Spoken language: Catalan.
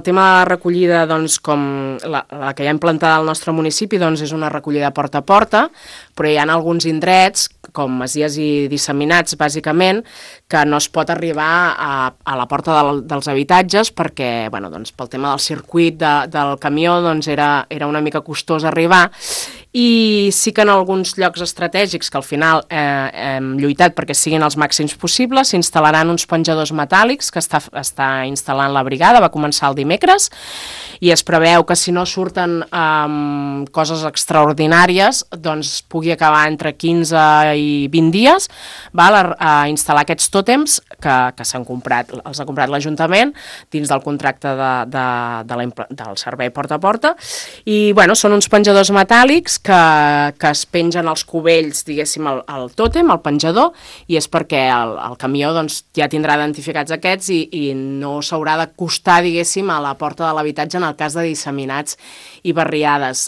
El tema de la recollida, doncs, com la que hi ha implantada al nostre municipi, doncs, és una recollida porta a porta, però hi ha alguns indrets, com masies i disseminats, bàsicament, que no es pot arribar a la porta dels habitatges perquè, bueno, doncs, pel tema del circuit del camió, doncs, era una mica costós arribar, i sí que en alguns llocs estratègics que al final hem lluitat perquè siguin els màxims possibles, s'instal·laran uns penjadors metàl·lics que està instal·lant la brigada, va començar el dimecres, i es preveu que si no surten coses extraordinàries, doncs pugui acabar entre 15 i 20 dies, a instal·lar aquests tòtems que s'han comprat, els ha comprat l'Ajuntament dins del contracte del servei porta a porta, i bueno, són uns penjadors metàl·lics que es pengen als cubells, diguéssim, al tòtem, al penjador, i és perquè el camió doncs, ja tindrà identificats aquests i no s'haurà d'acostar, diguéssim, a la porta de l'habitatge en el cas de disseminats i barriades.